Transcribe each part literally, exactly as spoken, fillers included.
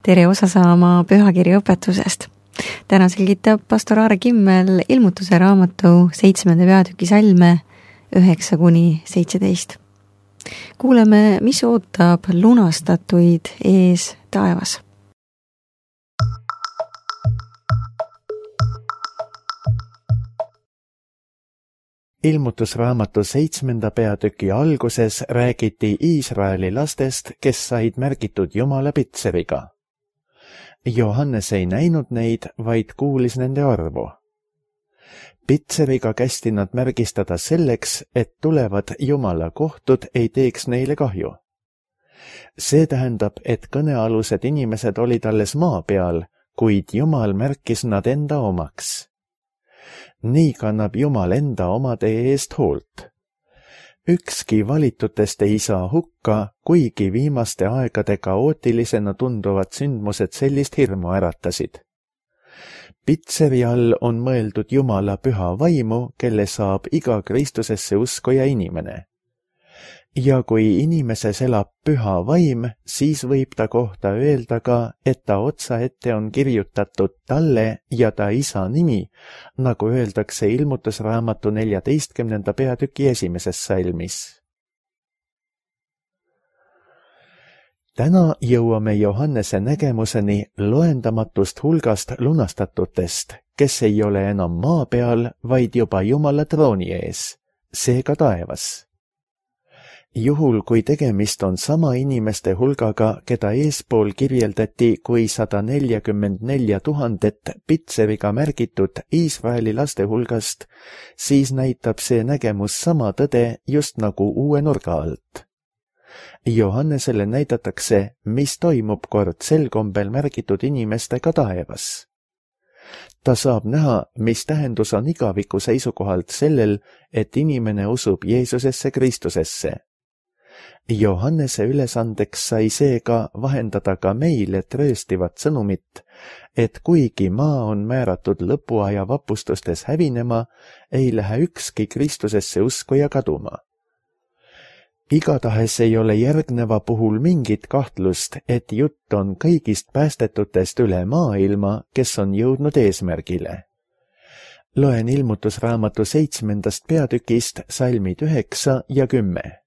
tere osa saama pühakirja õpetusest. Täna selgitab pastor Aare Kimmel ilmutuse raamatu seitsmenda peatüki salme üheksa kuni seitseteist. Kuuleme, mis ootab lunastatuid ees taevas. Ilmutusraamatu seitsmenda peatüki alguses räägiti Iisraeli lastest, kes said märgitud Jumala pitseriga. Johannes ei näinud neid, vaid kuulis nende arvu. Pitseriga kästi nad märgistada selleks, et tulevad Jumala kohtud ei teeks neile kahju. See tähendab, et kõnealused inimesed olid alles maa peal, kuid Jumal märkis nad enda omaks. Nii kannab Jumal enda omade eest hoolt. Ükski valitutest ei saa hukka, kuigi viimaste aegade kaootilisena tunduvad sündmused sellist hirmu äratasid. Pitseri all on mõeldud Jumala püha vaimu, kelle saab iga Kristusesse uskuja inimene. Ja kui inimeses elab püha vaim, siis võib ta kohta öelda ka, et ta otsa ette on kirjutatud talle ja ta isa nimi, nagu öeldakse ilmutusraamatu neljateistkümnenda peatüki esimeses salmis. Täna jõuame Johannese nägemuseni loendamatust hulgast lunastatutest, kes ei ole enam maa peal, vaid juba Jumala trooni ees, seega taevas. Juhul, kui tegemist on sama inimeste hulgaga, keda eespool kirjeldati kui sada nelikümmend neli tuhandet pitseriga märgitud Iisraeli laste hulgast, siis näitab see nägemus sama tõde just nagu uue nurga alt. Johannesele näidatakse, mis toimub kord sel kombel märgitud inimestega taevas. Ta saab näha, mis tähendus on igaviku seisukohalt sellel, et inimene usub Jeesusesse Kristusesse. Johannese ülesandeks sai seega vahendada ka meile trööstivat sõnumit, et kuigi maa on määratud lõpuaja vapustustes hävinema, ei lähe ükski Kristusesse uskuja kaduma. Igatahes ei ole järgneva puhul mingit kahtlust, et jutt on kõigist päästetutest üle maailma, kes on jõudnud eesmärgile. Loen ilmutusraamatu seitsmendast peatükist salmid üheksa ja kümme.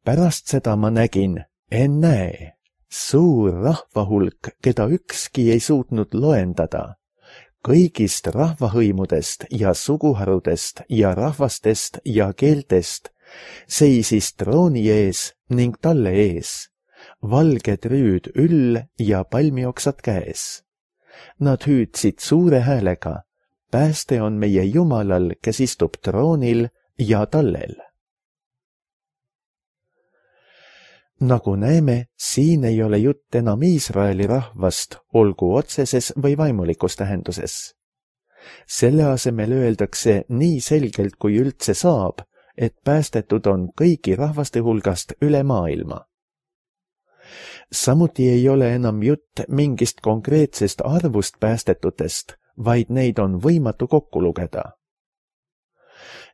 Pärast seda ma nägin, ennäe, suur rahvahulk, keda ükski ei suutnud loendada, kõigist rahvahõimudest ja suguharudest ja rahvastest ja keeltest, seisis trooni ees ning talle ees, valged rüüd üll ja palmioksad käes. Nad hüüdsid suure häälega, pääste on meie Jumalal, kes istub troonil ja tallel. Nagu näeme, siin ei ole jutt enam Iisraeli rahvast, olgu otseses või vaimulikus tähenduses. Selle asemel öeldakse nii selgelt kui üldse saab, et päästetud on kõigi rahvaste hulgast üle maailma. Samuti ei ole enam jutt mingist konkreetsest arvust päästetutest, vaid neid on võimatu kokku lugeda.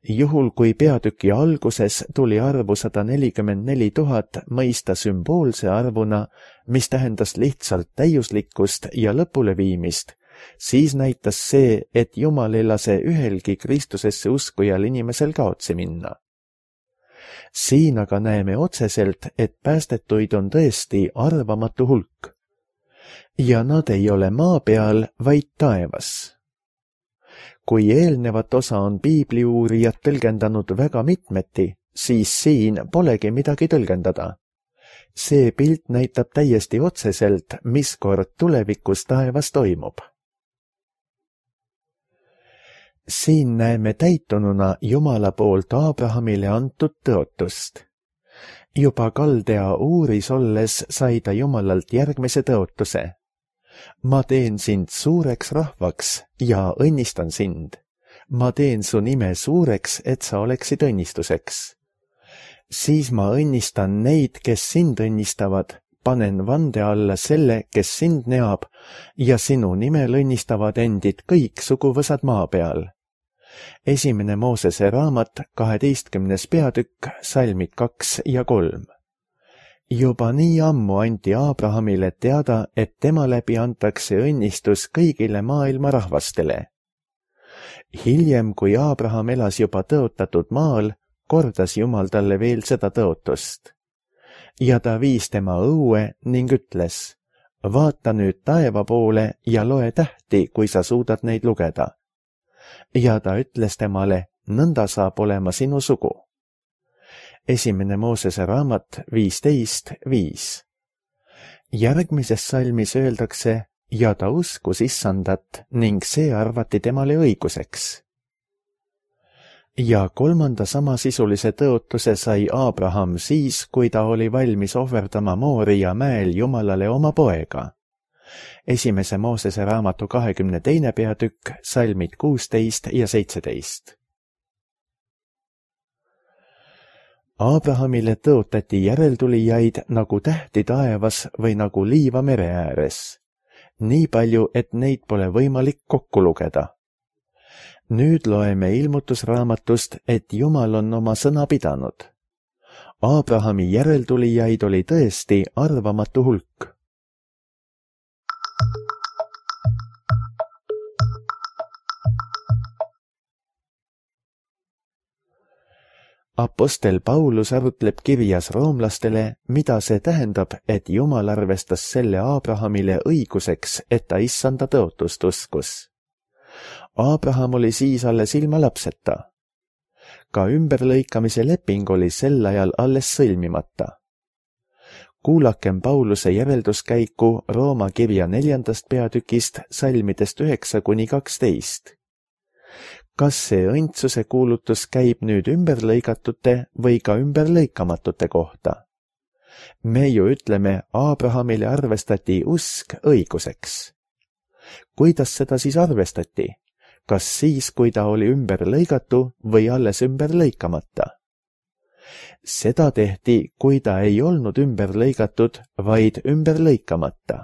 Juhul, kui peatüki alguses tuli arvu sada nelikümmend neli tuhat mõista sümboolse arvuna, mis tähendas lihtsalt täiuslikkust ja lõpuleviimist, siis näitas see, et Jumal ei lase ühelgi Kristusesse uskujal inimesel kaotsi minna. Siin aga näeme otseselt, et päästetuid on tõesti arvamatu hulk. Ja nad ei ole maa peal, vaid taevas. Kui eelnevat osa on piibliuurijad tõlgendanud väga mitmeti, siis siin polegi midagi tõlgendada. See pilt näitab täiesti otseselt, mis kord tulevikus taevas toimub. Siin näeme täitununa Jumala poolt Abrahamile antud tõotust. Juba Kaldea uuris olles sai ta Jumalalt järgmise tõotuse. Ma teen sind suureks rahvaks ja õnnistan sind. Ma teen su nime suureks, et sa oleksid õnnistuseks. Siis ma õnnistan neid, kes sind õnnistavad, panen vande alla selle, kes sind neab, ja sinu nimel õnnistavad endid kõik suguvõsad maa peal. Esimene Moosese raamat, kaheteistkümnes peatükk, salmid kaks ja kolm. juba nii ammu anti Abrahamile teada, et tema läbi antakse õnnistus kõigile maailma rahvastele. Hiljem, kui Abraham elas juba tõotatud maal, kordas Jumal talle veel seda tõotust. Ja ta viis tema õue ning ütles, vaata nüüd taeva poole ja loe tähti, kui sa suudad neid lugeda. Ja ta ütles temale, nõnda saab olema sinu sugu. Esimene Moosese raamat viisteist viis. Järgmises salmis öeldakse, ja ta uskus Issandat ning see arvati temale õiguseks. Ja kolmanda samasisulise tõotuse sai Abraham siis, kui ta oli valmis ohverdama Mooria mäel Jumalale oma poega. Esimese Moosese raamatu kahekümne teine peatükk, salmid kuusteist ja seitseteist. Abrahamile tõotati järeltulijaid nagu tähti taevas või nagu liiva mere ääres. Nii palju, et neid pole võimalik kokku lugeda. Nüüd loeme ilmutusraamatust, et Jumal on oma sõna pidanud. Abrahami järeltulijaid oli tõesti arvamatu hulk. Apostel Paulus arutleb kirjas roomlastele, mida see tähendab, et Jumal arvestas selle Abrahamile õiguseks, et ta Issanda tõotust uskus. Abraham oli siis alles ilma lapseta. Ka ümberlõikamise leping oli sel ajal alles sõlmimata. Kuulakem Pauluse järelduskäiku Rooma kirja neljandast peatükist salmidest üheksa kuni kaksteist. Kas see õndsuse kuulutus käib nüüd ümberlõigatute või ka ümberlõikamatute kohta? Me ju ütleme, Abrahamile arvestati usk õiguseks. Kuidas seda siis arvestati? Kas siis, kui ta oli ümberlõigatu või alles ümberlõikamata? Seda tehti, kui ta ei olnud ümberlõigatud, vaid ümberlõikamata.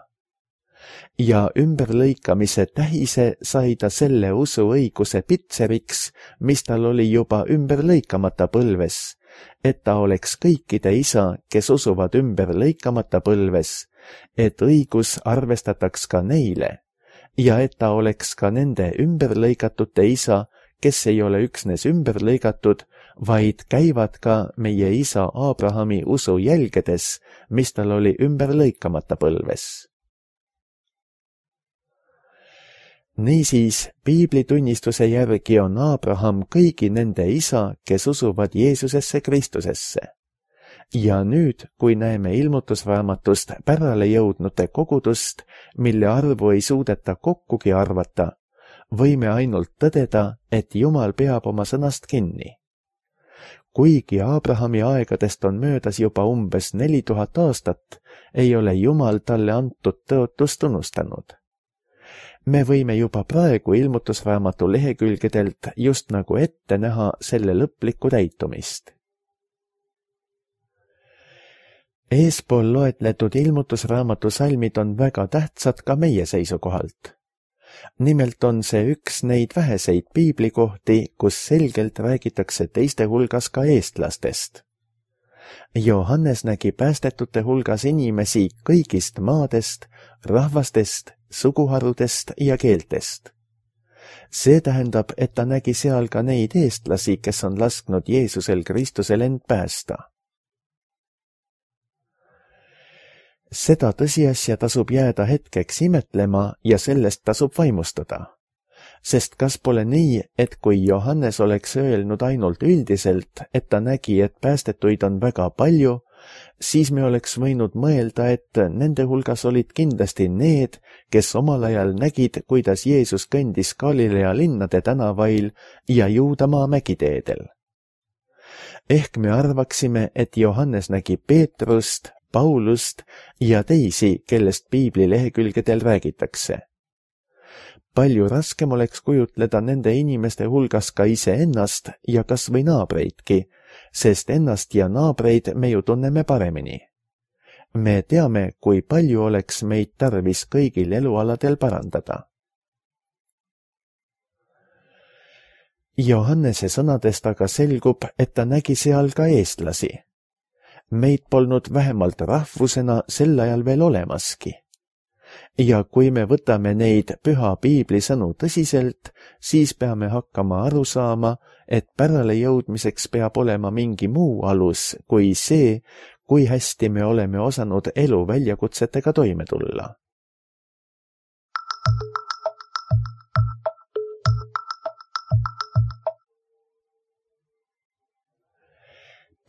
Ja ümberlõikamise tähise sai ta selle usuõiguse pitseriks, mis tal oli juba ümberlõikamata põlves, et ta oleks kõikide isa, kes usuvad ümberlõikamata põlves, et õigus arvestataks ka neile, ja et ta oleks ka nende ümberlõigatute isa, kes ei ole üksnes ümberlõigatud, vaid käivad ka meie isa Abrahami usu jälgedes, mis tal oli ümberlõikamata põlves. Niisiis, piiblitunnistuse järgi on Abraham kõigi nende isa, kes usuvad Jeesusesse Kristusesse. Ja nüüd, kui näeme ilmutusraamatust pärale jõudnute kogudust, mille arvu ei suudeta kokkugi arvata, võime ainult tõdeda, et Jumal peab oma sõnast kinni. Kuigi Abrahami aegadest on möödas juba umbes neli tuhat aastat, ei ole Jumal talle antud tõotust tunnustanud. Me võime juba praegu ilmutusraamatu lehekülgedelt just nagu ette näha selle lõplikku täitumist. Eespool loetletud ilmutusraamatu salmid on väga tähtsad ka meie seisukohalt. Nimelt on see üks neid väheseid piiblikohti, kus selgelt räägitakse teiste hulgas ka eestlastest. Johannes nägi päästetute hulgas inimesi kõigist maadest, rahvastest, suguharudest ja keeltest. See tähendab, et ta nägi seal ka neid eestlasi, kes on lasknud Jeesusel Kristusel end päästa. Seda tõsiasja tasub jääda hetkeks imetlema ja sellest tasub vaimustada. Sest kas pole nii, et kui Johannes oleks öelnud ainult üldiselt, et ta nägi, et päästetuid on väga palju, siis me oleks võinud mõelda, et nende hulgas olid kindlasti need, kes omal ajal nägid, kuidas Jeesus kõndis Galilea linnade tänavail ja Juudamaa mägiteedel. Ehk me arvaksime, et Johannes nägi Peetrust, Paulust ja teisi, kellest piibli lehekülgedel räägitakse. Palju raskem oleks kujutleda nende inimeste hulgas ka iseennast ja kas või naabreidki, sest ennast ja naabreid me ju tunneme paremini. Me teame, kui palju oleks meid tarvis kõigil elualadel parandada. Johannese sõnadest aga selgub, et ta nägi seal ka eestlasi. Meid polnud vähemalt rahvusena sel ajal veel olemaski. Ja kui me võtame neid püha piibli sõnu tõsiselt, siis peame hakkama aru saama, et pärale jõudmiseks peab olema mingi muu alus kui see, kui hästi me oleme osanud elu väljakutsetega toime tulla.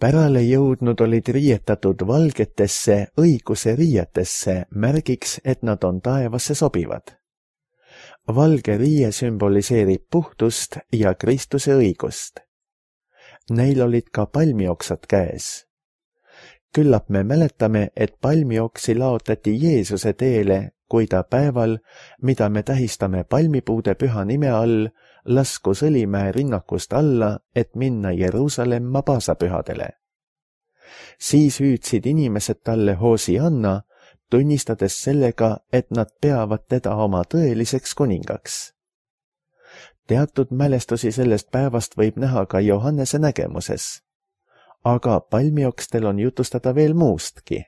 Pärale jõudnud olid riietatud valgetesse õiguse riietesse märgiks, et nad on taevasse sobivad. Valge riie sümboliseerib puhtust ja Kristuse õigust. Neil olid ka palmioksad käes. Küllap me mäletame, et palmioksi laotati Jeesuse teele, kui ta päeval, mida me tähistame palmipuude püha nime all, laskus Õlimäe rinnakust alla, et minna Jeruusalemma paasapühadele. Siis hüüdsid inimesed talle Hosianna, tunnistades sellega, et nad peavad teda oma tõeliseks kuningaks. Teatud mälestusi sellest päevast võib näha ka Johannese nägemuses, aga palmiokstel on jutustada veel muustki.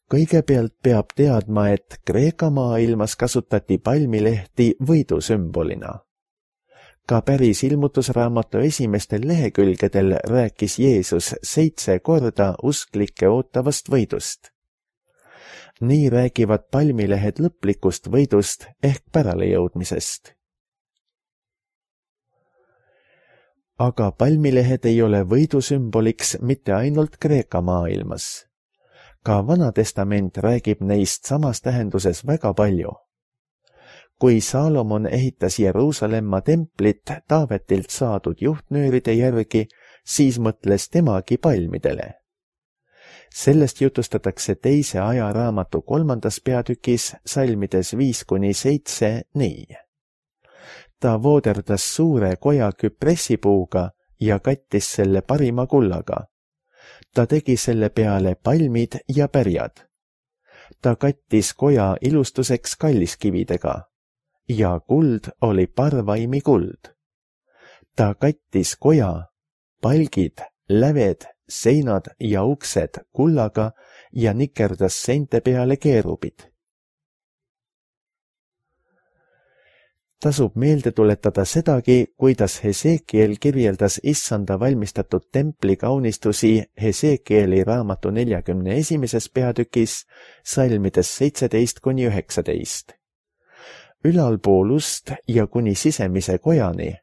Kõigepealt peab teadma, et Kreeka maailmas kasutati palmilehti võidusümbolina. Ka päris ilmutusraamatu esimestel lehekülgedel rääkis Jeesus seitse korda usklike ootavast võidust. Nii räägivad palmilehed lõplikust võidust ehk päralejõudmisest. Aga palmilehed ei ole võidusümboliks mitte ainult Kreeka maailmas. Ka Vana Testament räägib neist samas tähenduses väga palju. Kui Saalomon ehitas Jeruusalemma templit Taavetilt saadud juhtnööride järgi, siis mõtles temagi palmidele. Sellest jutustatakse teise ajaraamatu kolmandas peatükis salmides viis kuni seitse nii. Ta vooderdas suure koja küpressipuuga ja kattis selle parima kullaga. Ta tegi selle peale palmid ja pärjad. Ta kattis koja ilustuseks kalliskividega ja kuld oli parvaimi kuld. Ta kattis koja, palgid, läved, seinad ja uksed kullaga ja nikerdas seinte peale keerubid. Tasub meelde tuletada sedagi, kuidas Hesekiel kirjeldas issanda valmistatud templi kaunistusi Hesekieli raamatu neljakümne esimeses peatükis salmides seitseteist kuni üheksateist. Ülalpool ust ja kuni sisemise kojani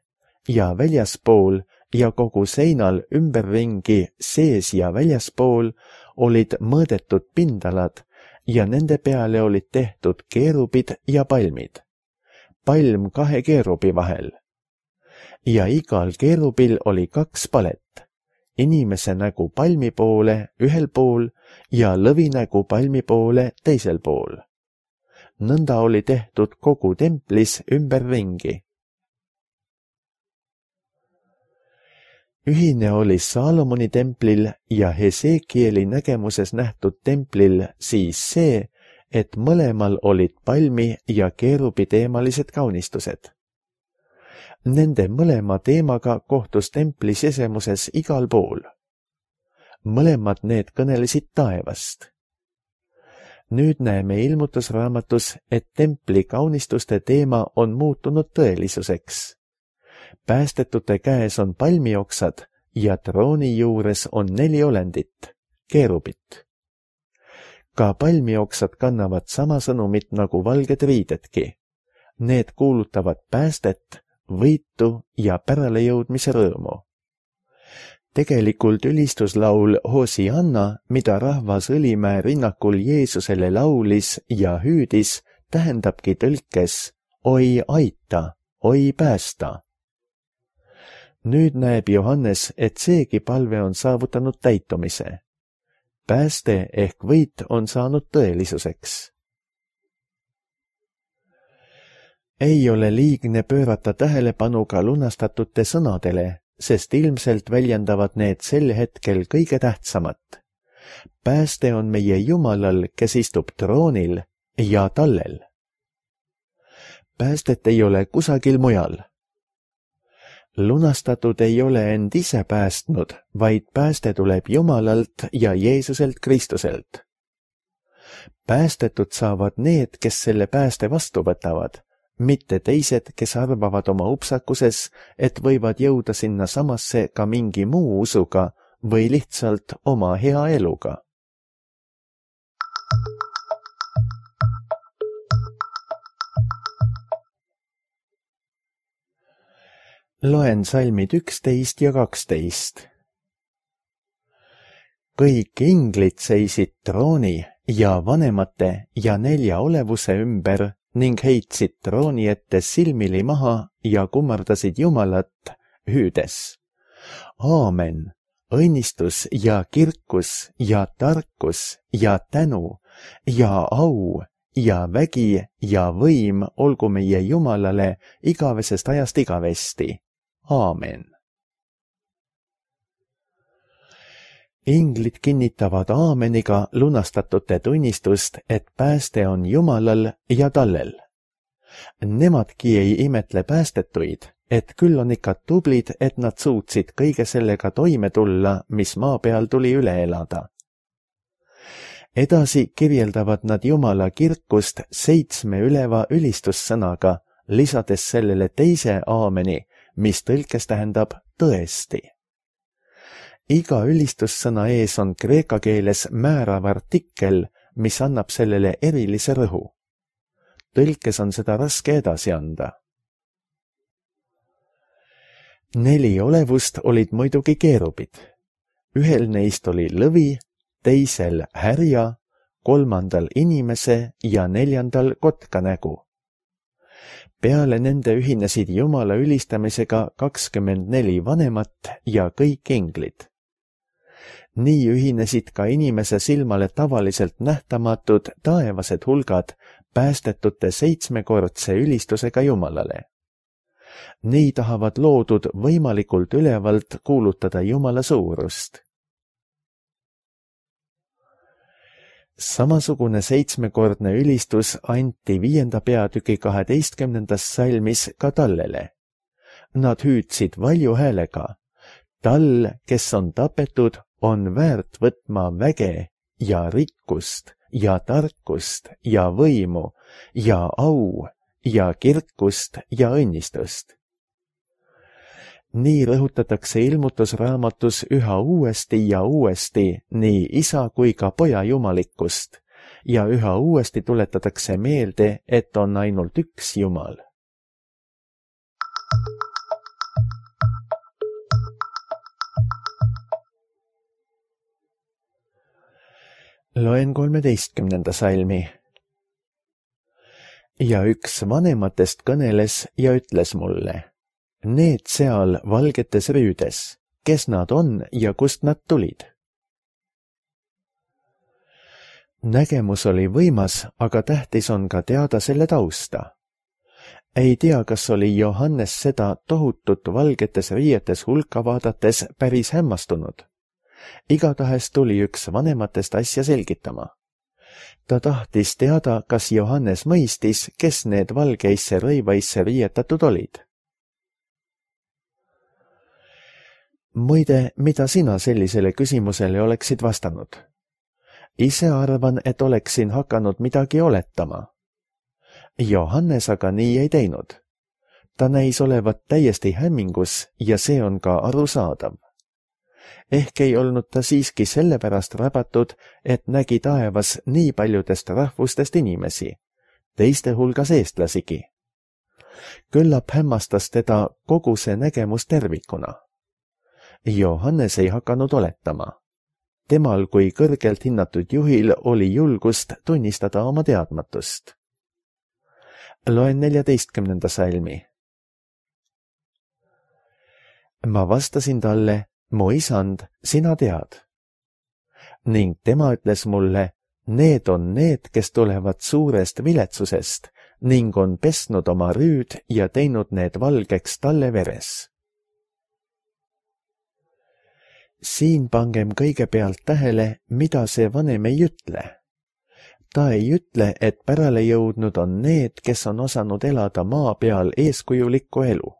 ja väljaspool ja kogu seinal ümberringi sees ja väljaspool olid mõõdetud pindalad ja nende peale olid tehtud keerubid ja palmid. Palm kahe keerubi vahel. Ja igal keerubil oli kaks palet, inimese nägu palmi poole ühel pool ja lõvi nägu palmi poole teisel pool. Nõnda oli tehtud kogu templis ümberringi. Ühine oli Saalomoni templil ja Hesekieli nägemuses nähtud templil siis see, et mõlemal olid palmi ja keerubi teemalised kaunistused. Nende mõlema teemaga kohtus templi sisemuses igal pool. Mõlemad need kõnelesid taevast. Nüüd näeme ilmutusraamatus, et templi kaunistuste teema on muutunud tõelisuseks. Päästetute käes on palmioksad ja trooni juures on neli olendit, keerubit. Ka palmioksad kannavad sama sõnumit nagu valged riidedki. Need kuulutavad päästet, võitu ja päralejõudmise rõõmu. Tegelikult ülistuslaul Hosianna, mida rahvas Õlimäe rinnakul Jeesusele laulis ja hüüdis, tähendabki tõlkes oi aita, oi päästa. Nüüd näeb Johannes, et seegi palve on saavutanud täitumise. Pääste ehk võit on saanud tõelisuseks. Ei ole liigne pöörata tähelepanu ka lunastatute sõnadele, sest ilmselt väljendavad need sel hetkel kõige tähtsamat. Pääste on meie Jumalal, kes istub troonil ja tallel. Päästet ei ole kusagil mujal. lunastatud ei ole end ise päästnud, vaid pääste tuleb Jumalalt ja Jeesuselt Kristuselt. Päästetud saavad need, kes selle pääste vastu võtavad, mitte teised, kes arvavad oma upsakuses, et võivad jõuda sinna samasse ka mingi muu usuga või lihtsalt oma hea eluga. Loen salmid üksteist ja kaksteist. Kõik inglid seisid trooni ja vanemate ja nelja olevuse ümber ning heitsid trooni ette silmili maha ja kummardasid Jumalat, hüüdes. Aamen, õnnistus ja kirkus ja tarkus ja tänu ja au ja vägi ja võim olgu meie Jumalale igavesest ajast igavesti. Aamen. Inglid kinnitavad aameniga lunastatute tunnistust, et pääste on Jumalal ja tallel. Nemadki ei imetle päästetuid, et küll on ikka tublid, et nad suutsid kõige sellega toime tulla, mis maa peal tuli üle elada. Edasi kirjeldavad nad Jumala kirkust seitsme üleva ülistussõnaga, lisades sellele teise aameni, mis tõlkes tähendab tõesti. Iga ülistussõna ees on kreeka keeles määrav artikkel, mis annab sellele erilise rõhu. Tõlkes on seda raske edasi anda. Neli olevust olid muidugi keerubid. Ühel neist oli lõvi, teisel härja, kolmandal inimese ja neljandal kotka nägu. Peale nende ühinesid Jumala ülistamisega kakskümmend neli vanemat ja kõik inglid. Nii ühinesid ka inimese silmale tavaliselt nähtamatud taevased hulgad päästetute seitsmekordse ülistusega Jumalale. Nii tahavad loodud võimalikult ülevalt kuulutada Jumala suurust. Samasugune seitsmekordne ülistus anti viienda peatüki kaheteistkümnendas salmis ka tallele. Nad hüüdsid valju häälega. Tall, kes on tapetud, on väärt võtma väge ja rikkust ja tarkust ja võimu ja au ja kirkust ja õnnistust. Nii rõhutatakse ilmutusraamatus üha uuesti ja uuesti nii isa kui ka poja jumalikkust ja üha uuesti tuletatakse meelde, et on ainult üks Jumal. Loen kolmeteistkümnenda salmi. Ja üks vanematest kõneles ja ütles mulle. Need seal valgetes rüüdes, kes nad on ja kust nad tulid? Nägemus oli võimas, aga tähtis on ka teada selle tausta. Ei tea, kas oli Johannes seda tohutut valgetes riietes hulka vaadates päris hämmastunud. Igatahes tuli üks vanematest asja selgitama. Ta tahtis teada, kas Johannes mõistis, kes need valgeisse rõivaisse riietatud olid. Muide, mida sina sellisele küsimusele oleksid vastanud? Ise arvan, et oleksin hakanud midagi oletama. Johannes aga nii ei teinud. Ta näis olevat täiesti hämmingus ja see on ka arusaadav. Ehk ei olnud ta siiski sellepärast rabatud, et nägi taevas nii paljudest rahvustest inimesi, teiste hulgas eestlasigi. Küllap hämmastas teda kogu see nägemus tervikuna. Johannes ei hakanud oletama. Temal kui kõrgelt hinnatud juhil oli julgust tunnistada oma teadmatust. Loen neljateistkümnenda salmi. Ma vastasin talle, mu isand, sina tead. Ning tema ütles mulle, need on need, kes tulevad suurest viletsusest ning on pesnud oma rüüd ja teinud need valgeks talle veres. Siin pangem kõigepealt tähele, mida see vanem ei ütle. Ta ei ütle, et pärale jõudnud on need, kes on osanud elada maa peal eeskujulikku elu.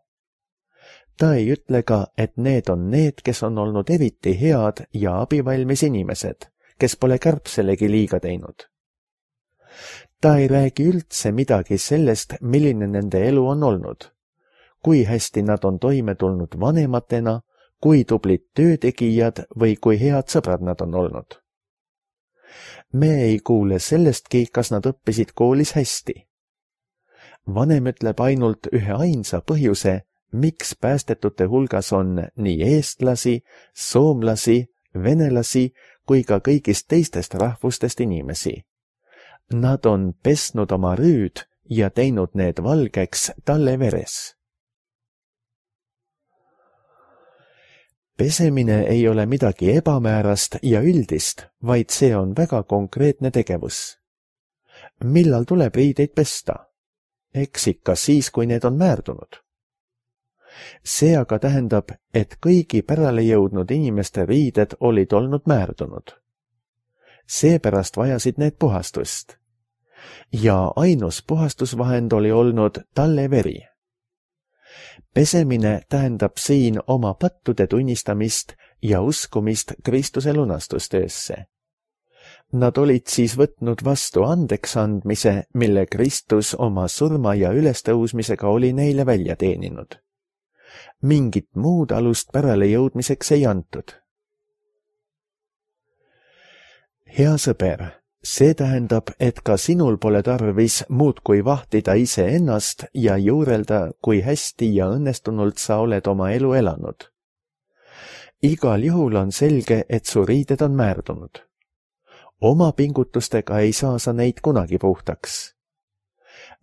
ta ei ütle ka, et need on need, kes on olnud eriti head ja abivalmis inimesed, kes pole kärbselegi liiga teinud. ta ei räägi üldse midagi sellest, milline nende elu on olnud, kui hästi nad on toime tulnud vanematena, kui tublid töötegijad või kui head sõbrad nad on olnud. me ei kuule sellestki, kas nad õppisid koolis hästi. vanem ütleb ainult ühe ainsa põhjuse, miks päästetute hulgas on nii eestlasi, soomlasi, venelasi kui ka kõigist teistest rahvustest inimesi. Nad on pesnud oma rüüd ja teinud need valgeks talle veres. Pesemine ei ole midagi ebamäärast ja üldist, vaid see on väga konkreetne tegevus. Millal tuleb riideid pesta? Eks ikka siis, kui need on määrdunud. See aga tähendab, et kõigi pärale jõudnud inimeste riided olid olnud määrdunud. Seepärast vajasid need puhastust. Ja ainus puhastusvahend oli olnud talle veri. Pesemine tähendab siin oma pattude tunnistamist ja uskumist Kristuse lunastustöösse. Nad olid siis võtnud vastu andeksandmise, mille Kristus oma surma ja ülestõusmisega oli neile välja teeninud. Mingit muud alust pärale jõudmiseks ei antud. Hea sõber, see tähendab, et ka sinul pole tarvis muudkui vahtida iseennast ja juurelda, kui hästi ja õnnestunult sa oled oma elu elanud. Igal juhul on selge, et su riided on määrdunud. Oma pingutustega ei saa sa neid kunagi puhtaks.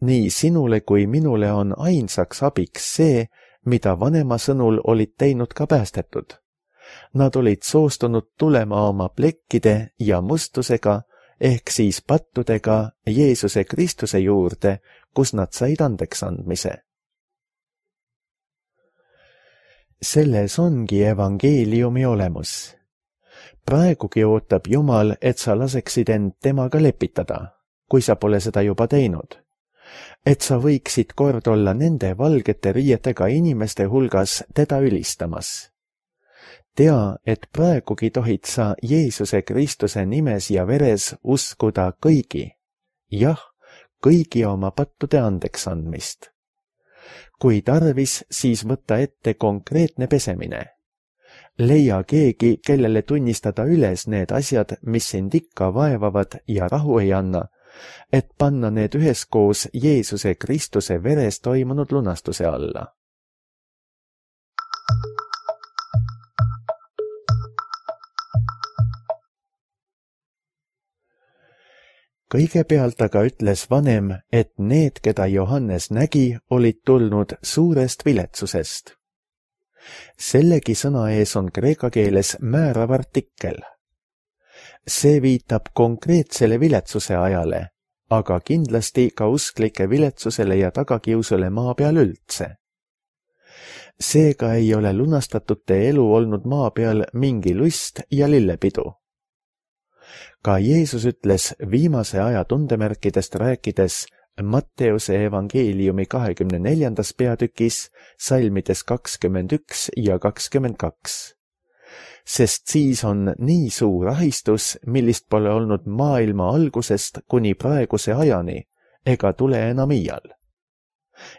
Nii sinule kui minule on ainsaks abiks see, mida vanema sõnul olid teinud ka päästetud. Nad olid soostunud tulema oma plekkide ja mustusega, ehk siis pattudega Jeesuse Kristuse juurde, kus nad said andeks andmise. Selles ongi evangeeliumi olemus. Praegugi ootab Jumal, et sa laseksid end temaga lepitada, kui sa pole seda juba teinud. Et sa võiksid kord olla nende valgete riietega inimeste hulgas teda ülistamas. Tea, et praegugi tohid sa Jeesuse Kristuse nimes ja veres uskuda kõigi, jah, kõigi oma pattude andeks andmist. Kui tarvis, siis võtta ette konkreetne pesemine. Leia keegi, kellele tunnistada üles need asjad, mis sind ikka vaevavad ja rahu ei anna, et panna need üheskoos Jeesuse Kristuse veres toimunud lunastuse alla. Kõigepealt aga ütles vanem, et need, keda Johannes nägi, olid tulnud suurest viletsusest. Sellegi sõna ees on kreeka keeles määrav artikkel. See viitab konkreetsele viletsuse ajale, aga kindlasti ka usklike viletsusele ja tagakiusule maa peal üldse. Seega ei ole lunastatute elu olnud maa peal mingi lust ja lillepidu. Ka Jeesus ütles viimase aja tundemärkidest rääkides Matteuse evangeeliumi kahekümne neljandas peatükis, salmides kakskümmend üks ja kakskümmend kaks. Sest siis on nii suur ahistus, millist pole olnud maailma algusest kuni praeguse ajani, ega tule enam iial.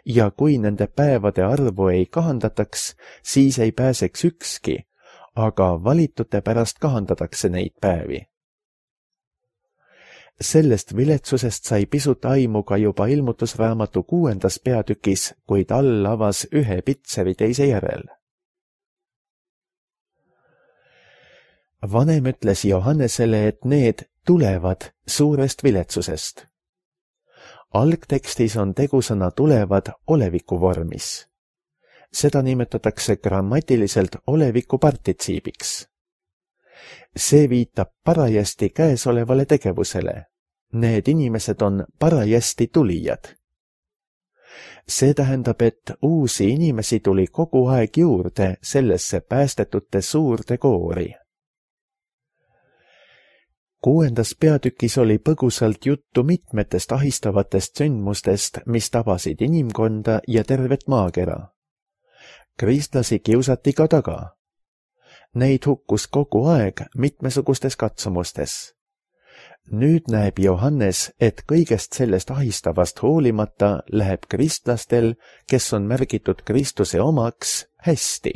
Ja kui nende päevade arvu ei kahandataks, siis ei pääseks ükski, aga valitute pärast kahandatakse neid päevi. Sellest viletsusest sai pisut aimu ka juba ilmutusraamatu kuuendas peatükis, kuid all avas ühe pitseri teise järel. Vanem ütles Johannesele, et need tulevad suurest viletsusest. Algtekstis on tegusõna tulevad oleviku vormis. Seda nimetatakse grammatiliselt oleviku partitsiibiks. See viitab parajasti käesolevale tegevusele. Need inimesed on parajasti tulijad. See tähendab, et uusi inimesi tuli kogu aeg juurde sellesse päästetute suurde koori. Kuuendas peatükis oli põgusalt juttu mitmetest ahistavatest sündmustest, mis tabasid inimkonda ja tervet maakera. Kristlasi kiusati ka taga. Neid hukkus kogu aeg mitmesugustes katsumustes. Nüüd näeb Johannes, et kõigest sellest ahistavast hoolimata läheb kristlastel, kes on märgitud Kristuse omaks, hästi.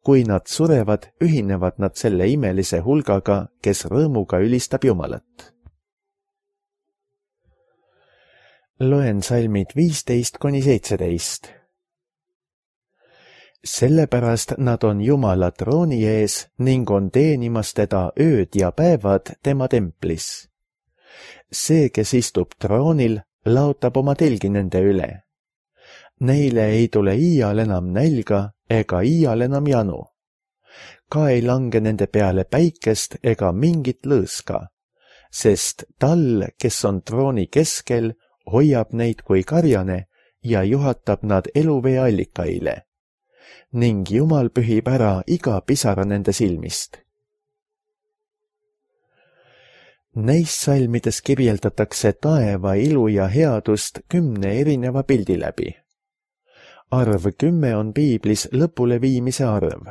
Kui nad surevad, ühinevad nad selle imelise hulgaga, kes rõõmuga ülistab Jumalat. Loen salmid viisteist kuni seitseteist. Sellepärast nad on Jumala trooni ees ning on teenimas teda ööd ja päevad tema templis. See, kes istub troonil, laotab oma telgi nende üle. Neile ei tule iial enam nälga ega iial enam janu. Ka ei lange nende peale päikest ega mingit lõõska, sest tal, kes on trooni keskel, hoiab neid kui karjane ja juhatab nad eluvee allikaile. Ning Jumal pühib ära iga pisara nende silmist. Neis salmides kirjeldatakse taeva ilu ja headust kümne erineva pildi läbi. Arv kümme on piiblis lõpule viimise arv.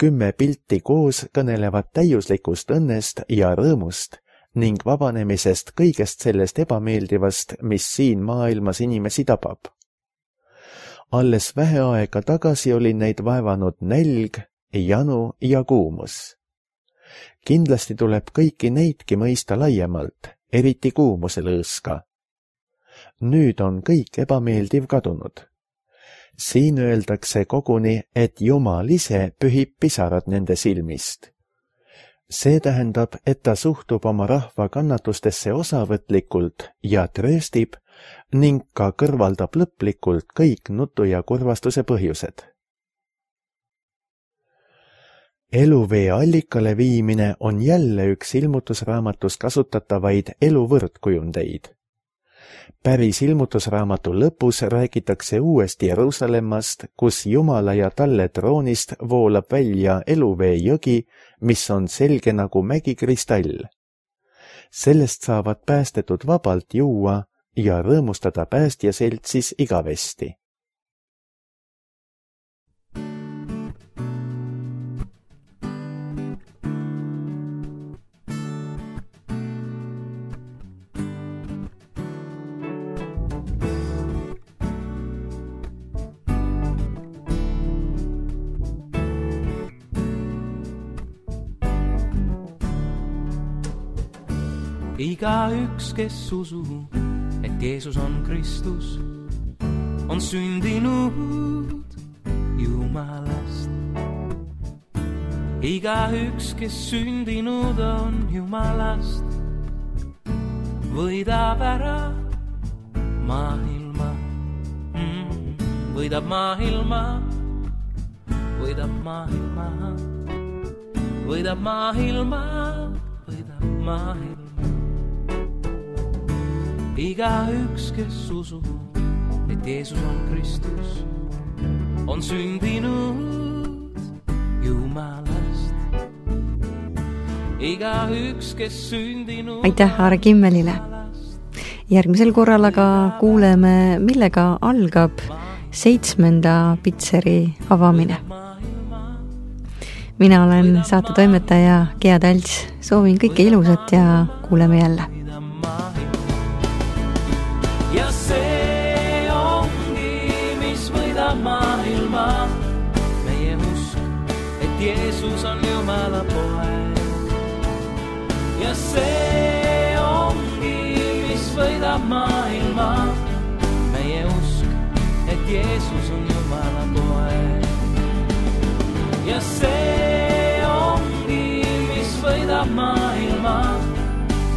Kümme pilti koos kõnelevad täiuslikust õnnest ja rõõmust ning vabanemisest kõigest sellest ebameeldivast, mis siin maailmas inimesi tabab. Alles vähe aega tagasi oli neid vaevanud nälg, janu ja kuumus. Kindlasti tuleb kõiki neidki mõista laiemalt, eriti kuumuse lõõska. Nüüd on kõik ebameeldiv kadunud. Siin öeldakse koguni, et Jumal ise pühib pisarad nende silmist. See tähendab, et ta suhtub oma rahva kannatustesse osavõtlikult ja trööstib ning ka kõrvaldab lõplikult kõik nutu ja kurvastuse põhjused. Eluvee allikale viimine on jälle üks ilmutusraamatus kasutatavaid eluvõrdkujundeid. Päris ilmutusraamatu lõpus räägitakse uuest Jeruusalemmast, kus Jumala ja talle troonist voolab välja eluvee jõgi, mis on selge nagu mägikristall. Sellest saavad päästetud vabalt juua ja rõõmustada päästja seltsis igavesti. Igaüks, kes usub, et Jeesus on Kristus, on sündinud Jumalast. Igaüks, kes sündinud on Jumalast, võidab ära maailma, mm, võidab maailma, võidab maailma, võidab maailma, võidab maailma. Igaüks, kes usub, et Jeesus on Kristus, on sündinud Jumalast. Igaüks, kes sündinud... Aitäh Aare Kimmelile! Järgmisel korral aga kuuleme, millega algab seitsmenda pitseri avamine. Mina olen saate toimetaja Gea Talts. Soovin kõike ilusat ja kuuleme jälle. Ja see ongi, mis võidab maailma, meie usk, et Jeesus on Jumala poeg. Ja see ongi, mis võidab maailma, meie usk, et Jeesus on Jumala poeg. Ja see ongi, mis võidab maailma,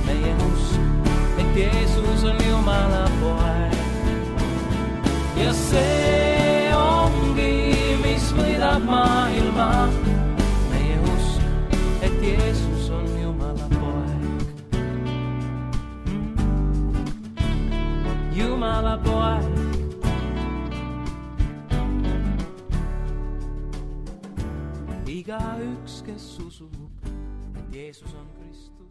meie usk, et Jeesus on Jumala poeg. Ja see ongi, mis võidab maailma, meie usk, et Jeesus on Jumala poeg. Jumala poeg. Igaüks, kes usub, et Jeesus on Kristus,